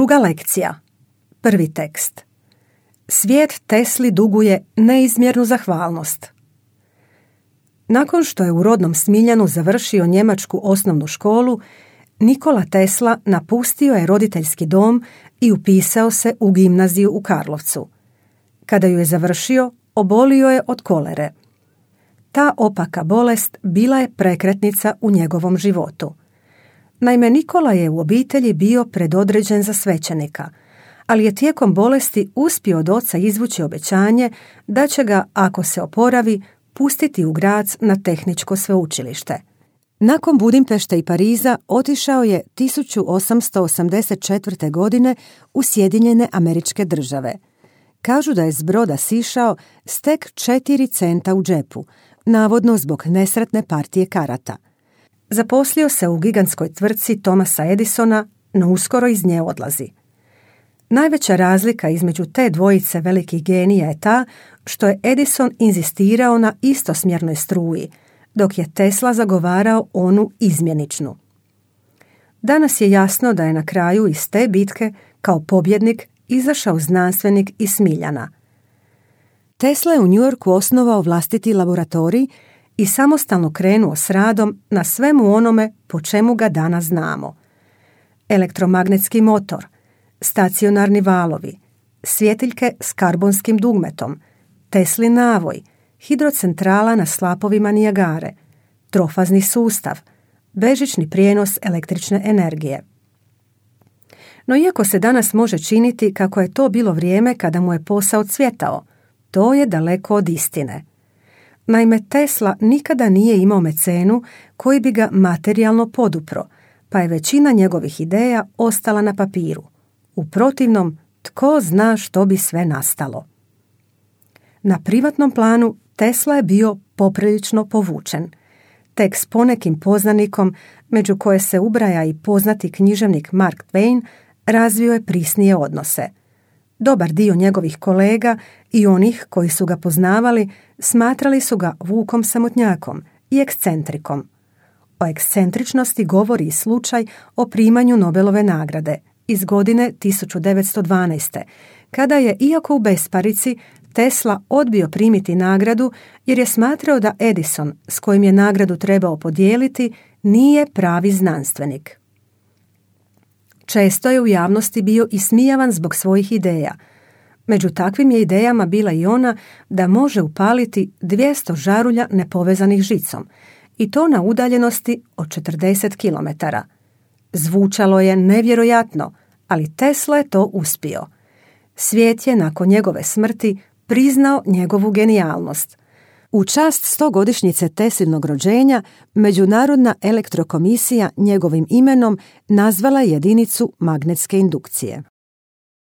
Druga lekcija. Prvi tekst. Svijet Tesli duguje neizmjernu zahvalnost. Nakon što je u rodnom Smiljanu završio njemačku osnovnu školu, Nikola Tesla napustio je roditeljski dom i upisao se u gimnaziju u Karlovcu. Kada ju je završio, obolio je od kolere. Ta opaka bolest bila je prekretnica u njegovom životu. Naime, Nikola je u obitelji bio predodređen za svećenika, ali je tijekom bolesti uspio od oca izvući obećanje da će ga, ako se oporavi, pustiti u Graz na tehničko sveučilište. Nakon Budimpešte i Pariza otišao je 1884. godine u Sjedinjene Američke Države. Kažu da je s broda sišao s tek 4 centa u džepu, navodno zbog nesretne partije karata. Zaposlio se u gigantskoj tvrtci Thomasa Edisona, no uskoro iz nje odlazi. Najveća razlika između te dvojice velikih genija je ta što je Edison inzistirao na istosmjernoj struji, dok je Tesla zagovarao onu izmjeničnu. Danas je jasno da je na kraju iz te bitke kao pobjednik izašao znanstvenik iz Smiljana. Tesla je u New Yorku osnovao vlastiti laboratorij i samostalno krenuo s radom na svemu onome po čemu ga danas znamo. Elektromagnetski motor, stacionarni valovi, svjetiljke s karbonskim dugmetom, Teslin navoj, hidrocentrala na slapovima Nijagare, trofazni sustav, bežični prijenos električne energije. No iako se danas može činiti kako je to bilo vrijeme kada mu je posao cvjetao, to je daleko od istine. Naime, Tesla nikada nije imao mecenu koji bi ga materijalno podupro, pa je većina njegovih ideja ostala na papiru. U protivnom, tko zna što bi sve nastalo. Na privatnom planu Tesla je bio poprilično povučen. Tek s ponekim poznanikom, među koje se ubraja i poznati književnik Mark Twain, razvio je prisnije odnose. Dobar dio njegovih kolega i onih koji su ga poznavali smatrali su ga Vukom samotnjakom i ekscentrikom. O ekscentričnosti govori i slučaj o primanju Nobelove nagrade iz godine 1912. kada je, iako u besparici, Tesla odbio primiti nagradu jer je smatrao da Edison, s kojim je nagradu trebao podijeliti, nije pravi znanstvenik. Često je u javnosti bio ismijavan zbog svojih ideja. Među takvim je idejama bila i ona da može upaliti 200 žarulja nepovezanih žicom, i to na udaljenosti od 40 km. Zvučalo je nevjerojatno, ali Tesla je to uspio. Svijet je nakon njegove smrti priznao njegovu genijalnost. U čast 100-godišnjice Teslinog rođenja, Međunarodna elektrokomisija njegovim imenom nazvala jedinicu magnetske indukcije.